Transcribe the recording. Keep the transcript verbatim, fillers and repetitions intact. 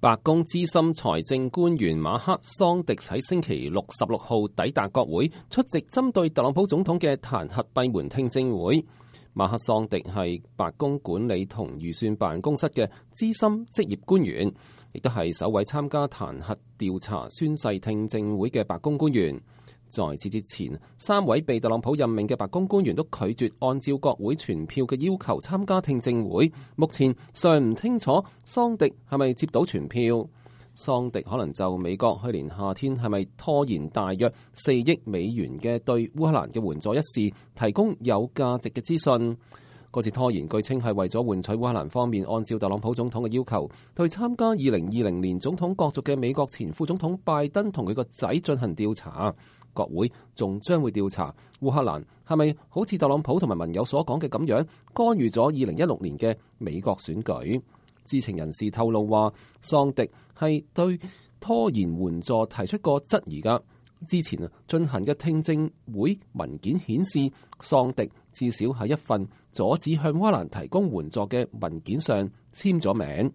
白宮資深財政官員馬克桑迪喺星期六十六號抵達國會，出席針對特朗普總統嘅彈劾閉門聽證會。馬克桑迪係白宮管理同預算辦公室嘅資深職業官員，亦都係首位參加彈劾調查宣誓聽證會嘅白宮官員。在此之前，三位被特朗普任命嘅白宮官員都拒絕按照國會全票嘅要求參加聽證會。目前尚唔清楚桑迪係咪接到全票。桑迪可能就美國去年夏天係咪拖延大約四億美元嘅對烏克蘭嘅援助一事提供有價值嘅資訊。嗰次拖延據稱係為咗換取烏克蘭方面按照特朗普總統嘅要求，對參加二零二零年總統角逐嘅美國前副總統拜登同佢個仔進行調查。國會仲將會調查烏克蘭係咪好似特朗普同埋盟友所講嘅咁樣干預咗二零一六年嘅美國選舉。知情人士透露話，桑迪係對拖延援助提出過質疑㗎。之前啊進行嘅聽證會文件顯示，桑迪至少喺一份阻止向烏克蘭提供援助嘅文件上簽咗名。